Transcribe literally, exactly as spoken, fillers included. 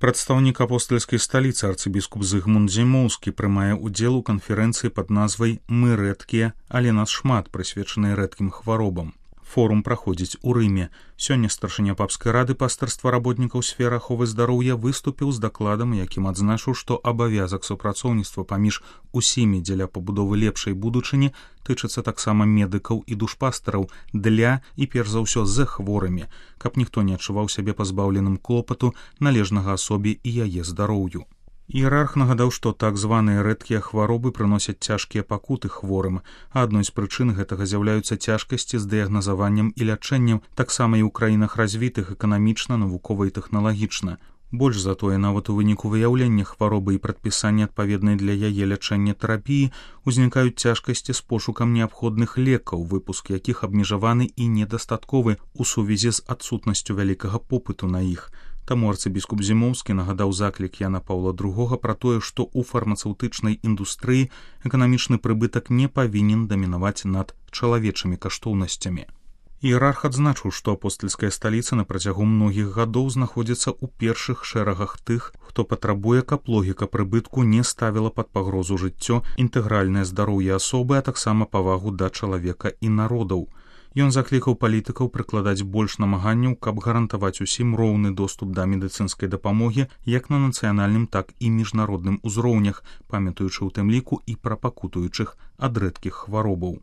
Прадстаўнік апостальскай сталіцы арцыбіскуп Зыгмунд Зімоўскі прымае ўдзел у канферэнцыі пад назвай «Мы рэдкія, але нас шмат», прысвечанай рэдкім хваробам. Форум праходзіць у Рыме. Сёння старшыня папскай рады пастырства работнікаў сферы аховы здароўя выступіў з дакладам, якім адзначыў, што абавязак супрацоўніцтва паміж усімі дзеля пабудовы лепшай будучыні тычыцца таксама медыкаў і душпастараў для і перш за ўсё з хворымі, каб ніхто не адчуваў сябе пазбаўленым клопату, належнага асобе і яе здароўю. Іерарх нагадаў, што так званыя рэдкія хваробы прыносяць цяжкія пакуты хворым, а адной з прычын гэтага з'яўляюцца цяжкасці з дыягназаваннем і лячэннем, таксама і ў краінах развітых эканамічна, навукова і тэхналагічна. Больш за тое, нават у выніку выяўлення хваробы і прадпісання адпаведнай для яе лячэння тэрапіі узнікаюць цяжкасці з пошукам неабходных лекаў, выпуск якіх абмежаваны і недастатковы ў сувязі з адсутнасцю вялікага попыту на іх. Таму арцыбіскуп Зімоўскі нагадаў заклік Яна Паўла другога пра тое, што ў фармацэўтычнай індустрыі эканамічны прыбытак не павінен дамінаваць над чалавечымі каштоўнасцямі. Іерарх адзначыў, што апостальская сталіца на працягу многіх гадоў знаходзіцца ў першых шэрагах тых, хто патрабуе, каб логіка прыбытку не ставіла пад пагрозу жыццё, інтэгральнае здароўе асобы, а таксама павагу да чалавека і народаў. Ён заклікаў палітыкаў прыкладаць больш намаганняў, каб гарантаваць усім роўны доступ да медыцынскай дапамогі як на нацыянальным, так і міжнародным узроўнях, памятаючы ў тым ліку і пра пакутуючых ад рэдкіх хваробаў.